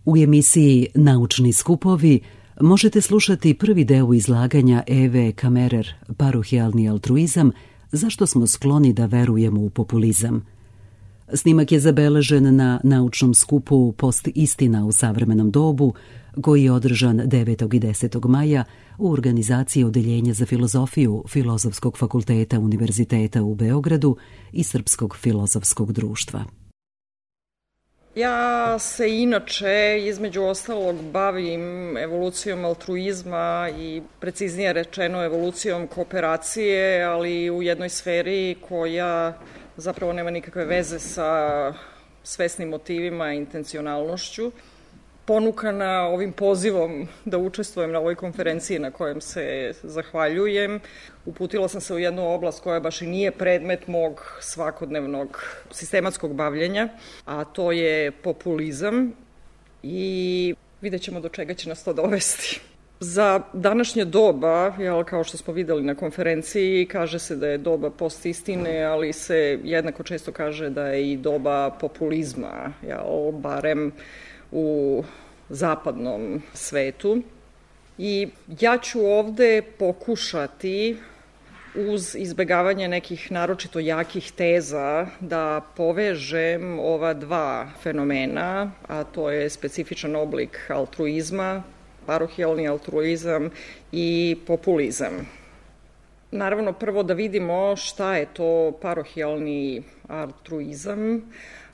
U emisiji Naučni skupovi možete slušati prvi deo izlaganja Eve Kammerer, Parohijalni altruizam, zašto smo skloni da verujemo u populizam. Snimak je zabeležen na naučnom skupu Post istina u savremenom dobu, koji je održan 9. i 10. maja u organizaciji Odeljenja za filozofiju Filozofskog fakulteta Univerziteta u Beogradu i Srpskog filozofskog društva. Ja se inače, između ostalog, bavim evolucijom altruizma i preciznije rečeno evolucijom kooperacije, ali u jednoj sferi koja zapravo nema nikakve veze sa svesnim motivima i intencionalnošću. Ponukana ovim pozivom da učestvujem na ovoj konferenciji na kojem se zahvaljujem, uputila sam se u jednu oblast koja baš i nije predmet mog svakodnevnog sistematskog bavljenja, a to je populizam i vidjet ćemo do čega će nas to dovesti. Za današnje doba, kao što smo videli na konferenciji, kaže se da je doba postistine, ali se jednako često kaže da je i doba populizma, barem u zapadnom svetu. I ja ću ovde pokušati, uz izbegavanje nekih naročito jakih teza, da povežem ova dva fenomena, a to je specifičan oblik altruizma, parohijalni altruizam i populizam. Naravno, prvo da vidimo šta je to parohijalni altruizam.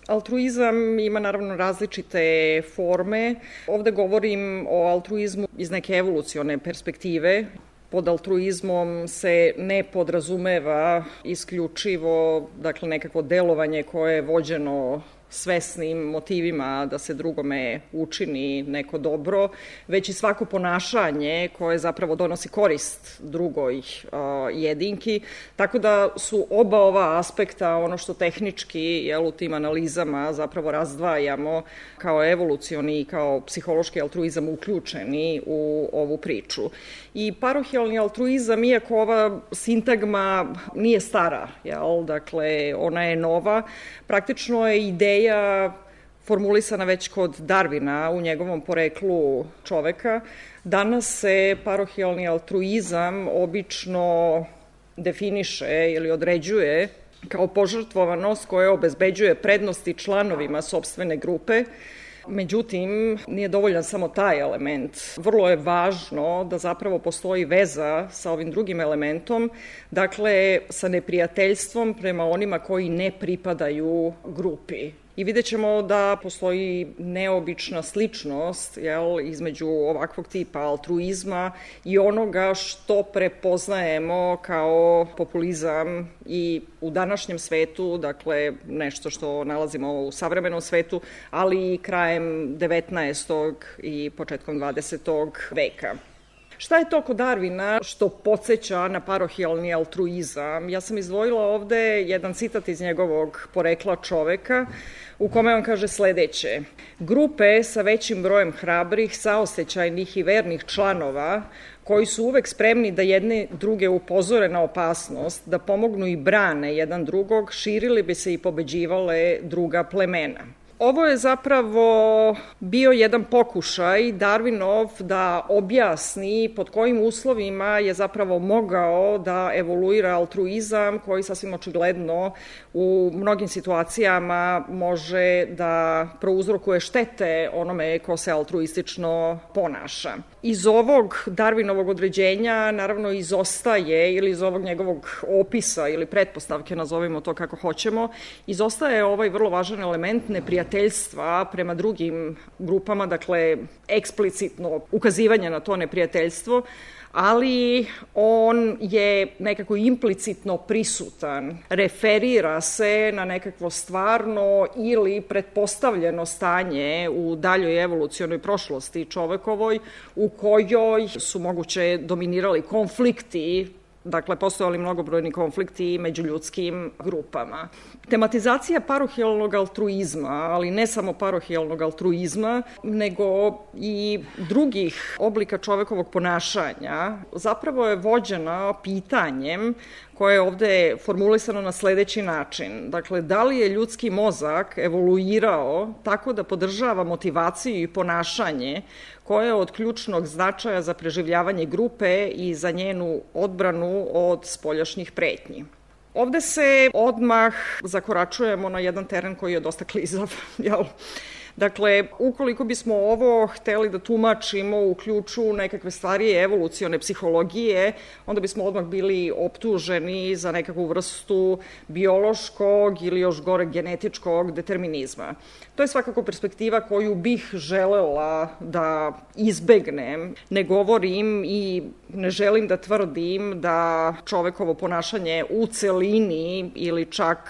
Altruizam ima naravno različite forme. Ovde govorim o altruizmu iz neke evolucione perspektive. Pod altruizmom se ne podrazumeva isključivo, nekakvo delovanje koje je vođeno svesnim motivima da se drugome učini neko dobro, već i svako ponašanje koje zapravo donosi korist drugoj jedinki, tako da su oba ova aspekta ono što tehnički u tim analizama zapravo razdvajamo kao evolucioni i kao psihološki altruizam uključeni u ovu priču. I parohijalni altruizam, iako ova sintagma nije stara, dakle ona je nova, praktično je ideja formulisana već kod Darwina u njegovom poreklu čoveka. Danas se parohijalni altruizam obično definiše ili određuje kao požrtvovanost koja obezbeđuje prednosti članovima sopstvene grupe. Međutim, nije dovoljan samo taj element. Vrlo je važno da zapravo postoji veza sa ovim drugim elementom, dakle sa neprijateljstvom prema onima koji ne pripadaju grupi. I vidjet ćemo da postoji neobična sličnost između ovakvog tipa altruizma i onoga što prepoznajemo kao populizam i u današnjem svetu, dakle nešto što nalazimo u savremenom svetu, ali i krajem 19. i početkom 20. veka. Šta je to kod Darwina što podsjeća na parohijalni altruizam? Ja sam izdvojila ovde jedan citat iz njegovog porekla čoveka u kome on kaže sledeće: grupe sa većim brojem hrabrih, saosećajnih i vernih članova koji su uvek spremni da jedne druge upozore na opasnost, da pomognu i brane jedan drugog, širili bi se i pobeđivale druga plemena. Ovo je zapravo bio jedan pokušaj Darwinov da objasni pod kojim uslovima je zapravo mogao da evoluira altruizam koji sasvim očigledno u mnogim situacijama može da prouzrokuje štete onome ko se altruistično ponaša. Iz ovog Darwinovog određenja naravno izostaje, ili iz ovog njegovog opisa ili pretpostavke, nazovimo to kako hoćemo, izostaje ovaj vrlo važan element neprijateljstva prema drugim grupama, dakle eksplicitno ukazivanje na to neprijateljstvo, ali on je nekako implicitno prisutan, referira se na nekakvo stvarno ili pretpostavljeno stanje u daljoj evolucionoj prošlosti čovekovoj u kojoj su moguće dominirali konflikti dakle, postojali mnogobrojni konflikti među ljudskim grupama. Tematizacija parohijalnog altruizma, ali ne samo parohijalnog altruizma, nego i drugih oblika čovekovog ponašanja, zapravo je vođena pitanjem koje je ovde formulisano na sledeći način. Dakle, da li je ljudski mozak evoluirao tako da podržava motivaciju i ponašanje koje je od ključnog značaja za preživljavanje grupe i za njenu odbranu od spoljašnjih pretnji. Ovde se odmah zakoračujemo na jedan teren koji je dosta klizav, jel? Dakle, ukoliko bismo ovo hteli da tumačimo u ključu nekakve stvari evolucione psihologije, onda bismo odmah bili optuženi za nekakvu vrstu biološkog ili još gore genetičkog determinizma. To je svakako perspektiva koju bih želela da izbegnem. Ne govorim i ne želim da tvrdim da čovekovo ponašanje u celini ili čak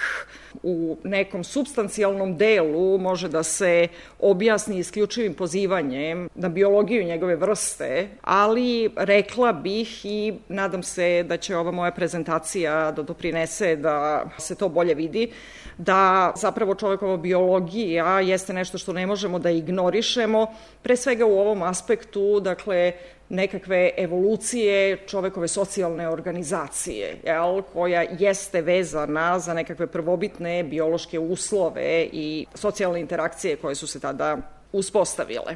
u nekom supstancijalnom delu može da se objasni isključivim pozivanjem na biologiju njegove vrste, ali rekla bih i nadam se da će ova moja prezentacija da doprinese da se to bolje vidi, da zapravo čovekova biologija jeste nešto što ne možemo da ignorišemo, pre svega u ovom aspektu, dakle, nekakve evolucije čovekove socijalne organizacije, koja jeste vezana za nekakve prvobitne biološke uslove i socijalne interakcije koje su se tada uspostavile.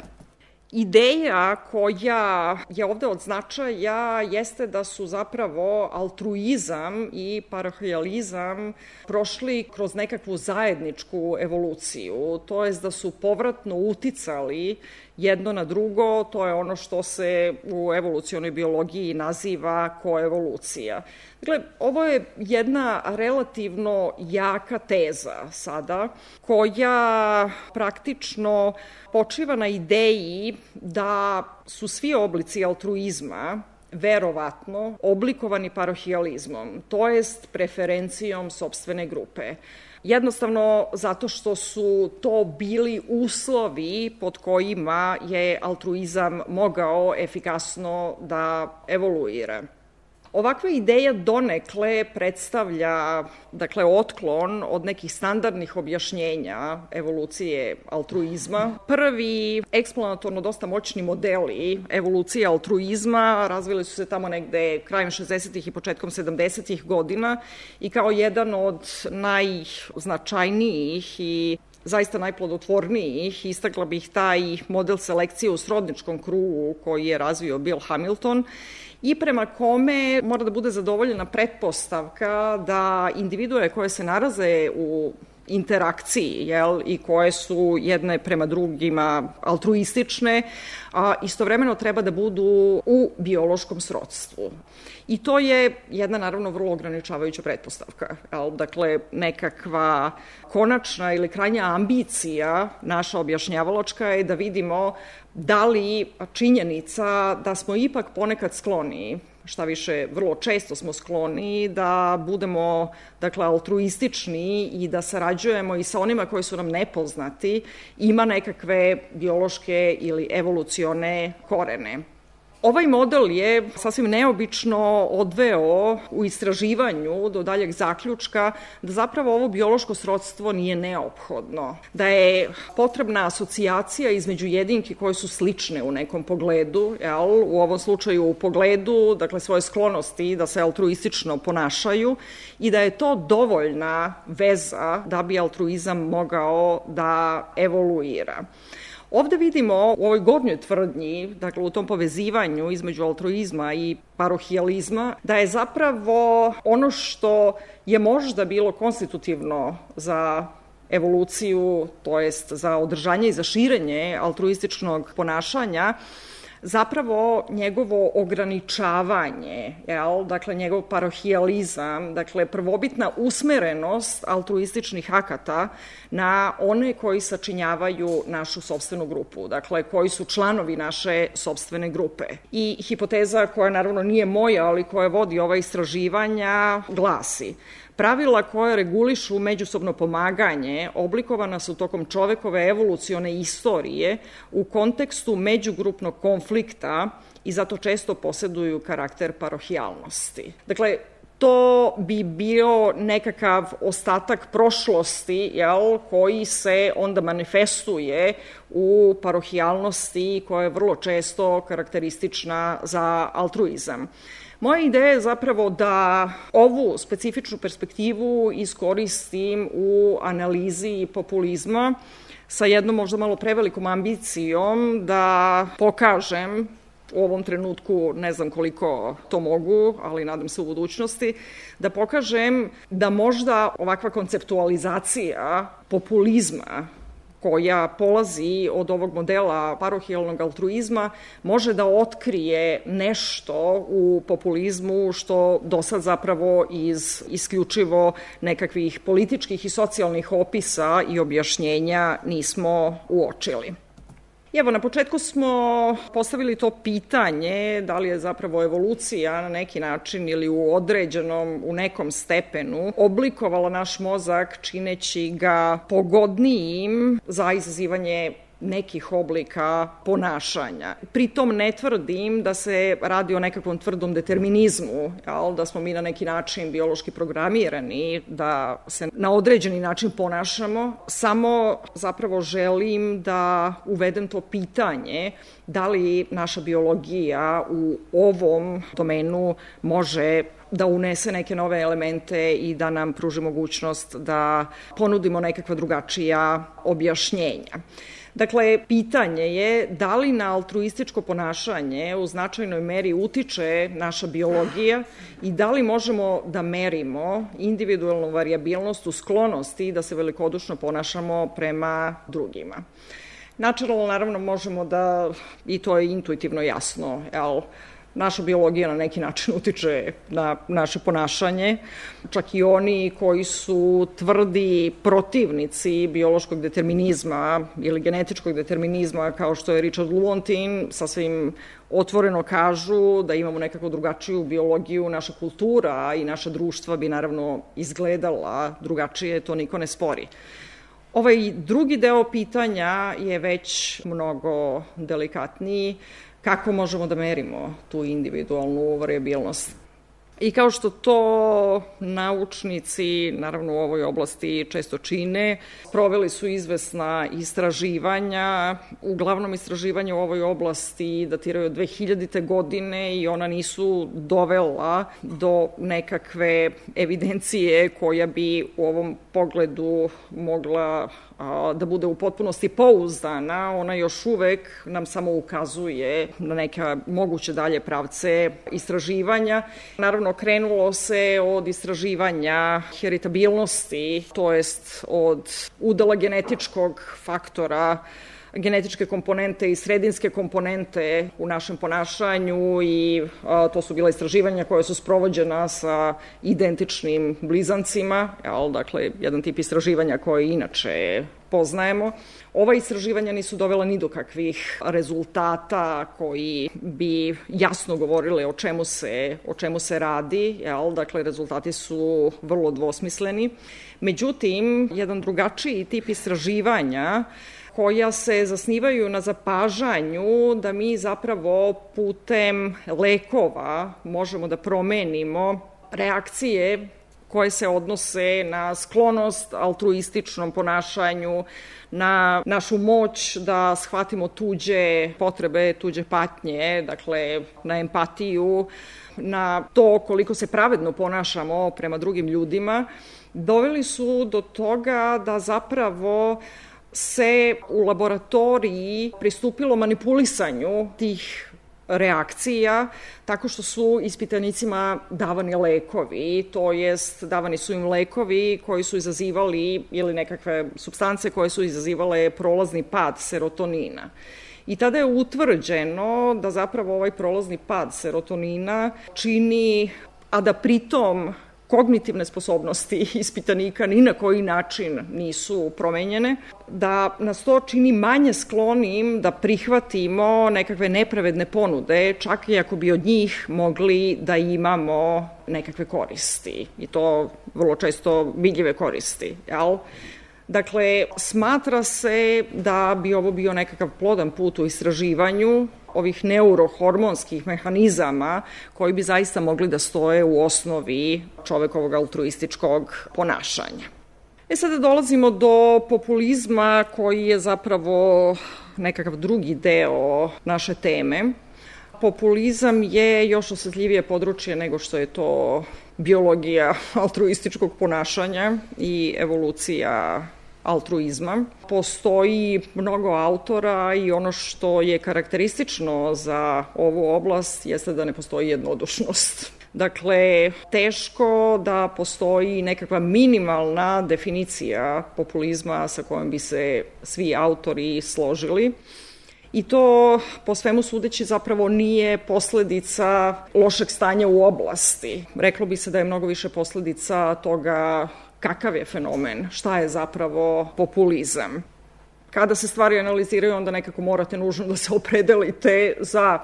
Ideja koja je ovde od značaja jeste da su zapravo altruizam i parohijalizam prošli kroz nekakvu zajedničku evoluciju, to jest da su povratno uticali jedno na drugo, to je ono što se u evolucionoj biologiji naziva koevolucija. Dakle, ovo je jedna relativno jaka teza sada, koja praktično počiva na ideji da su svi oblici altruizma verovatno oblikovani parohijalizmom, to jest preferencijom sopstvene grupe. Jednostavno zato što su to bili uslovi pod kojima je altruizam mogao efikasno da evoluira. Ovakva ideja donekle predstavlja, dakle, otklon od nekih standardnih objašnjenja evolucije altruizma. Prvi eksplanatorno dosta moćni modeli evolucije altruizma razvili su se tamo negde krajem 60. i početkom 70. godina i kao jedan od najznačajnijih i zaista najplodotvornijih, istakla bih taj model selekcije u srodničkom krugu koji je razvio Bill Hamilton i prema kome mora da bude zadovoljena pretpostavka da individue koje se nalaze u interakciji i koje su jedne prema drugima altruistične, a istovremeno treba da budu u biološkom srodstvu. I to je jedna, naravno, vrlo ograničavajuća pretpostavka. Dakle, nekakva konačna ili krajnja ambicija naša objašnjavalačka je da vidimo da li činjenica da smo ipak ponekad skloni, šta više, vrlo često smo skloni da budemo, dakle, altruistični i da sarađujemo i sa onima koji su nam nepoznati, ima nekakve biološke ili evolucione korene. Ovaj model je sasvim neobično odveo u istraživanju do daljeg zaključka da zapravo ovo biološko srodstvo nije neophodno, da je potrebna asocijacija između jedinki koje su slične u nekom pogledu, u ovom slučaju u pogledu, dakle, svoje sklonosti da se altruistično ponašaju i da je to dovoljna veza da bi altruizam mogao da evoluira. Ovde vidimo u ovoj gornjoj tvrdnji, dakle u tom povezivanju između altruizma i parohijalizma, da je zapravo ono što je možda bilo konstitutivno za evoluciju, to jest za održanje i za širenje altruističnog ponašanja, zapravo njegovo ograničavanje, dakle njegov parohijalizam, dakle prvobitna usmerenost altruističnih akata na one koji sačinjavaju našu sopstvenu grupu, dakle koji su članovi naše sopstvene grupe. I hipoteza koja naravno nije moja, ali koja vodi ova istraživanja glasi: Pravila koja regulišu međusobno pomaganje oblikovana su tokom čovekove evolucione istorije u kontekstu međugrupnog konflikta i zato često poseduju karakter parohijalnosti. Dakle, to bi bio nekakav ostatak prošlosti, koji se onda manifestuje u parohijalnosti koja je vrlo često karakteristična za altruizam. Moja ideja je zapravo da ovu specifičnu perspektivu iskoristim u analizi populizma sa jednom možda malo prevelikom ambicijom da pokažem, u ovom trenutku ne znam koliko to mogu, ali nadam se u budućnosti, da pokažem da možda ovakva konceptualizacija populizma koja polazi od ovog modela parohijalnog altruizma može da otkrije nešto u populizmu što do sad zapravo iz isključivo nekakvih političkih i socijalnih opisa i objašnjenja nismo uočili. Evo, na početku smo postavili to pitanje da li je zapravo evolucija na neki način ili u nekom stepenu oblikovala naš mozak čineći ga pogodnijim za izazivanje nekih oblika ponašanja. Pritom ne tvrdim da se radi o nekakvom tvrdom determinizmu, da smo mi na neki način biološki programirani, da se na određeni način ponašamo, samo zapravo želim da uvedem to pitanje da li naša biologija u ovom domenu može da unese neke nove elemente i da nam pruži mogućnost da ponudimo nekakva drugačija objašnjenja. Dakle, pitanje je da li na altruističko ponašanje u značajnoj meri utiče naša biologija i da li možemo da merimo individualnu varijabilnost u sklonosti da se velikodušno ponašamo prema drugima. Načelno, naravno, možemo da, i to je intuitivno jasno, naša biologija na neki način utiče na naše ponašanje, čak i oni koji su tvrdi protivnici biološkog determinizma ili genetičkog determinizma, kao što je Richard Lewontin, sasvim otvoreno kažu da imamo nekako drugačiju biologiju, naša kultura i naša društva bi naravno izgledala drugačije, to niko ne spori. Ovaj drugi deo pitanja je već mnogo delikatniji. Kako možemo da merimo tu individualnu varijabilnost? I kao što to naučnici, naravno u ovoj oblasti često čine, proveli su izvesna istraživanja, uglavnom istraživanja u ovoj oblasti datiraju od 2000. godine i ona nisu dovela do nekakve evidencije koja bi u ovom pogledu mogla da bude u potpunosti pouzdana, ona još uvek nam samo ukazuje na neke moguće dalje pravce istraživanja. Naravno, krenulo se od istraživanja heritabilnosti, to jest od udela genetičkog faktora, genetičke komponente i sredinske komponente u našem ponašanju i to su bila istraživanja koja su sprovođena sa identičnim blizancima, dakle, jedan tip istraživanja koje inače poznajemo. Ova istraživanja nisu dovela ni do kakvih rezultata koji bi jasno govorile o čemu se radi, dakle, rezultati su vrlo dvosmisleni. Međutim, jedan drugačiji tip istraživanja koja se zasnivaju na zapažanju da mi zapravo putem lekova možemo da promenimo reakcije koje se odnose na sklonost altruističnom ponašanju, na našu moć da shvatimo tuđe potrebe, tuđe patnje, dakle na empatiju, na to koliko se pravedno ponašamo prema drugim ljudima, doveli su do toga da zapravo se u laboratoriji pristupilo manipulisanju tih reakcija tako što su ispitanicima davani lekovi, to jest davani su im lekovi koji su izazivali ili nekakve supstance koje su izazivale prolazni pad serotonina. I tada je utvrđeno da zapravo ovaj prolazni pad serotonina čini, a da pritom kognitivne sposobnosti ispitanika ni na koji način nisu promenjene, da nas to čini manje sklonim da prihvatimo nekakve nepravedne ponude, čak i ako bi od njih mogli da imamo nekakve koristi, i to vrlo često vidljive koristi, jel? Dakle, smatra se da bi ovo bio nekakav plodan put u istraživanju ovih neurohormonskih mehanizama koji bi zaista mogli da stoje u osnovi čovekovog altruističkog ponašanja. Sada dolazimo do populizma koji je zapravo nekakav drugi deo naše teme. Populizam je još osetljivije područje nego što je to biologija altruističkog ponašanja i evolucija altruizma. Postoji mnogo autora i ono što je karakteristično za ovu oblast jeste da ne postoji jednodušnost. Dakle, teško da postoji nekakva minimalna definicija populizma sa kojom bi se svi autori složili. I to, po svemu sudeći, zapravo nije posledica lošeg stanja u oblasti. Reklo bi se da je mnogo više posledica toga kakav je fenomen, šta je zapravo populizam. Kada se stvari analiziraju, onda nekako morate nužno da se opredelite za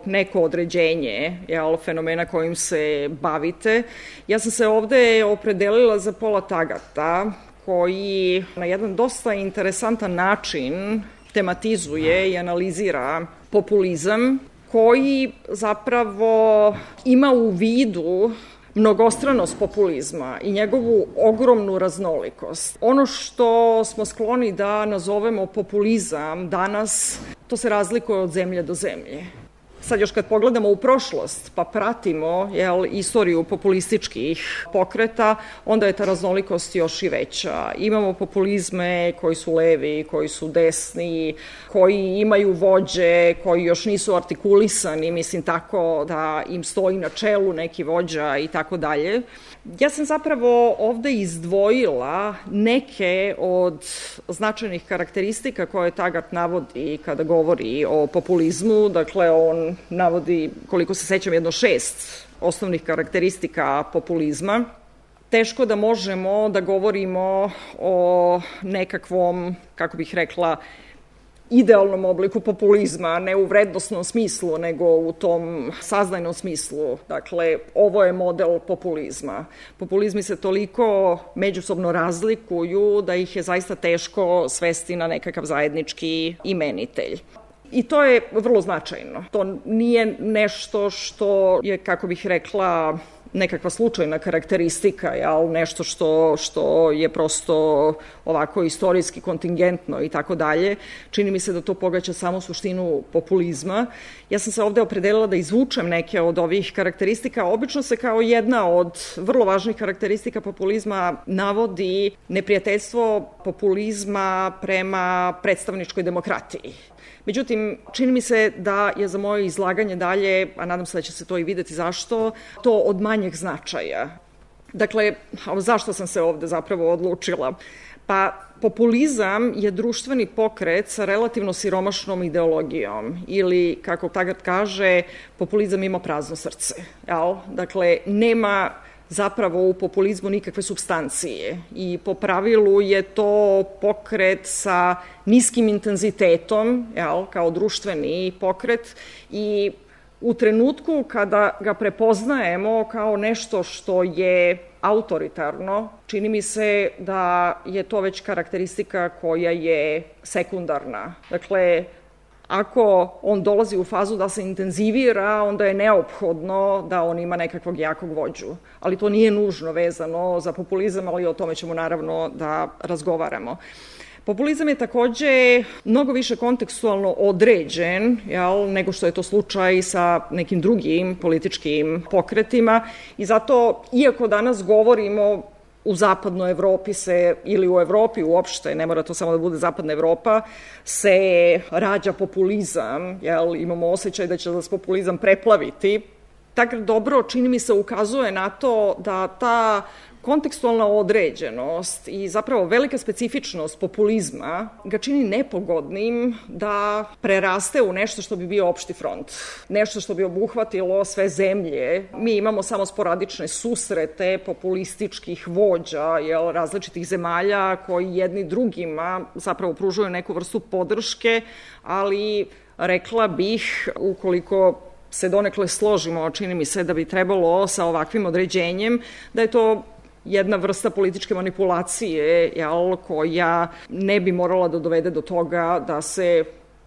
neko određenje fenomena kojim se bavite. Ja sam se ovde opredelila za Paula Tagata, koji na jedan dosta interesantan način tematizuje i analizira populizam, koji zapravo ima u vidu mnogostranost populizma i njegovu ogromnu raznolikost. Ono što smo skloni da nazovemo populizam danas, to se razlikuje od zemlje do zemlje. Sad još kad pogledamo u prošlost pa pratimo istoriju populističkih pokreta, onda je ta raznolikost još i veća. Imamo populizme koji su levi, koji su desni, koji imaju vođe, koji još nisu artikulisani, mislim tako da im stoji na čelu neki vođa i tako dalje. Ja sam zapravo ovde izdvojila neke od značajnih karakteristika koje Taggart navodi kada govori o populizmu. Dakle, on navodi, koliko se sećam, 6 osnovnih karakteristika populizma. Teško da možemo da govorimo o nekakvom, kako bih rekla, idealnom obliku populizma, ne u vrednosnom smislu, nego u tom saznajnom smislu. Dakle, ovo je model populizma. Populizmi se toliko međusobno razlikuju da ih je zaista teško svesti na nekakav zajednički imenitelj. I to je vrlo značajno. To nije nešto što je, kako bih rekla, nekakva slučajna karakteristika, nešto što je prosto ovako istorijski kontingentno i tako dalje. Čini mi se da to pogađa samo suštinu populizma. Ja sam se ovde opredelila da izvučem neke od ovih karakteristika. Obično se kao jedna od vrlo važnih karakteristika populizma navodi neprijateljstvo populizma prema predstavničkoj demokratiji. Međutim, čini mi se da je za moje izlaganje dalje, a nadam se da će se to i videti zašto, to od manjeg značaja. Dakle, zašto sam se ovde zapravo odlučila? Pa, populizam je društveni pokret sa relativno siromašnom ideologijom ili, kako Taggart kaže, populizam ima prazno srce. Dakle, nema zapravo u populizmu nikakve supstancije i po pravilu je to pokret sa niskim intenzitetom, kao društveni pokret, i u trenutku kada ga prepoznajemo kao nešto što je autoritarno, čini mi se da je to već karakteristika koja je sekundarna. Dakle, ako on dolazi u fazu da se intenzivira, onda je neophodno da on ima nekakvog jakog vođu. Ali to nije nužno vezano za populizam, ali o tome ćemo naravno da razgovaramo. Populizam je takođe mnogo više kontekstualno određen nego što je to slučaj sa nekim drugim političkim pokretima i zato, iako danas govorimo u zapadnoj Evropi ili u Evropi uopšte, ne mora to samo da bude zapadna Evropa, se rađa populizam, imamo osjećaj da će nas populizam preplaviti. Tako dobro, čini mi se, ukazuje na to da ta kontekstualna određenost i zapravo velika specifičnost populizma ga čini nepogodnim da preraste u nešto što bi bio opšti front. Nešto što bi obuhvatilo sve zemlje. Mi imamo samo sporadične susrete populističkih vođa različitih zemalja koji jedni drugima zapravo pružuju neku vrstu podrške, ali rekla bih, ukoliko se donekle složimo, čini mi se da bi trebalo sa ovakvim određenjem, da je to jedna vrsta političke manipulacije koja ne bi morala da dovede do toga da se,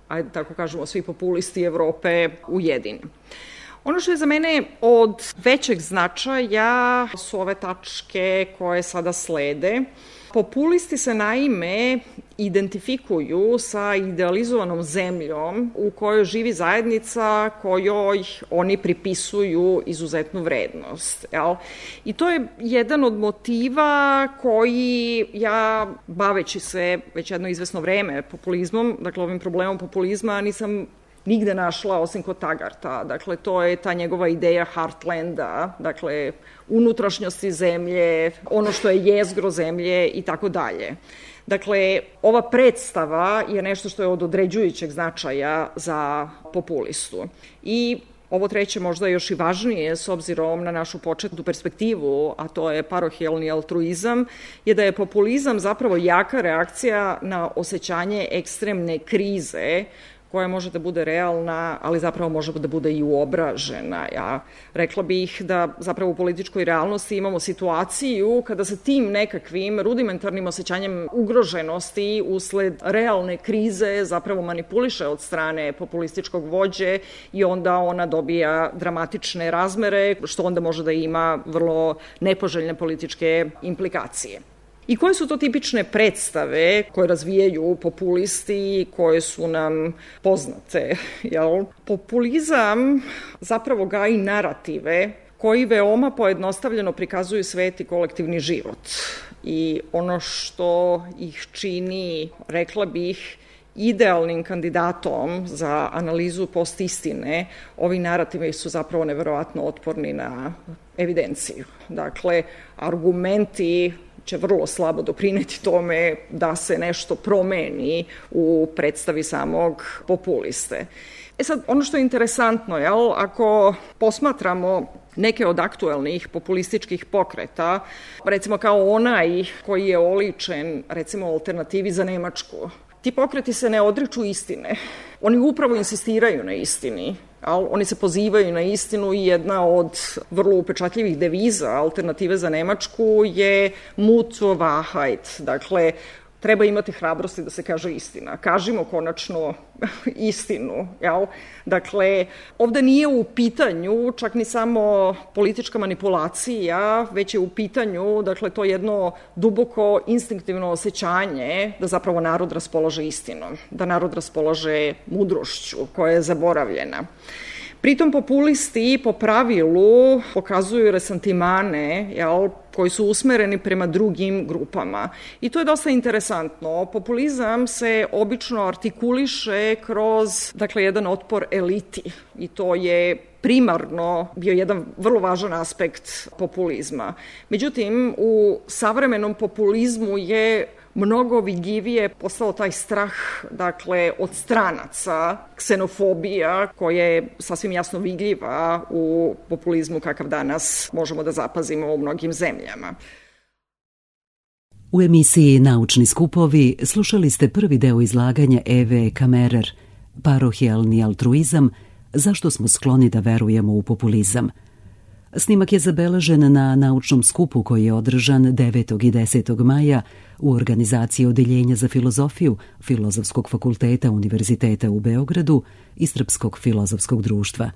ajde tako kažemo, svi populisti Evrope ujedine. Ono što je za mene od većeg značaja su ove tačke koje sada slede. Populisti se naime identifikuju sa idealizovanom zemljom u kojoj živi zajednica kojoj oni pripisuju izuzetnu vrednost. I to je jedan od motiva koji ja, baveći se već jedno izvesno vreme populizmom, dakle ovim problemom populizma, nisam nigde našla osim kod Tagarta. Dakle, to je ta njegova ideja Heartlanda, dakle, unutrašnjosti zemlje, ono što je jezgro zemlje i tako dalje. Dakle, ova predstava je nešto što je od određujućeg značaja za populistu. I ovo treće možda još i važnije s obzirom na našu početnu perspektivu, a to je parohijalni altruizam, je da je populizam zapravo jaka reakcija na osjećanje ekstremne krize koja može da bude realna, ali zapravo može da bude i uobražena. Ja rekla bih da zapravo u političkoj realnosti imamo situaciju kada se tim nekakvim rudimentarnim osjećanjem ugroženosti usled realne krize zapravo manipuliše od strane populističkog vođe i onda ona dobija dramatične razmere, što onda može da ima vrlo nepoželjne političke implikacije. I koje su to tipične predstave koje razvijaju populisti, koje su nam poznate? Populizam zapravo gaji narative koji veoma pojednostavljeno prikazuju svet i kolektivni život. I ono što ih čini, rekla bih, idealnim kandidatom za analizu postistine, ovi narativi su zapravo neverovatno otporni na evidenciju. Dakle, argumenti će vrlo slabo doprineti tome da se nešto promeni u predstavi samog populiste. Sad, ono što je interesantno, ako posmatramo neke od aktuelnih populističkih pokreta, recimo kao onaj koji je oličen, recimo, alternativi za Nemačku, ti pokreti se ne odriču istine. Oni upravo insistiraju na istini. Oni se pozivaju na istinu i jedna od vrlo upečatljivih deviza alternative za Nemačku je Mut zur Wahrheit. Dakle, treba imati hrabrosti da se kaže istina. Kažimo konačno istinu. Dakle, ovde nije u pitanju čak ni samo politička manipulacija, već je u pitanju, dakle, to jedno duboko instinktivno osjećanje da zapravo narod raspolaže istinom, da narod raspolaže mudrošću koja je zaboravljena. Pritom populisti po pravilu pokazuju resentimane, koji su usmereni prema drugim grupama. I to je dosta interesantno. Populizam se obično artikuliše kroz, dakle, jedan otpor eliti. I to je primarno bio jedan vrlo važan aspekt populizma. Međutim, u savremenom populizmu je mnogo vidljivije postao taj strah, dakle, od stranaca, ksenofobija, koja je sasvim jasno vidljiva u populizmu kakav danas možemo da zapazimo u mnogim zemljama. U emisiji Naučni skupovi slušali ste prvi deo izlaganja Eve Kammerer, Parohijalni altruizam, zašto smo skloni da verujemo u populizam. Snimak je zabeležen na naučnom skupu koji je održan 9. i 10. maja u organizaciji Odeljenja za filozofiju Filozofskog fakulteta Univerziteta u Beogradu i Srpskog filozofskog društva.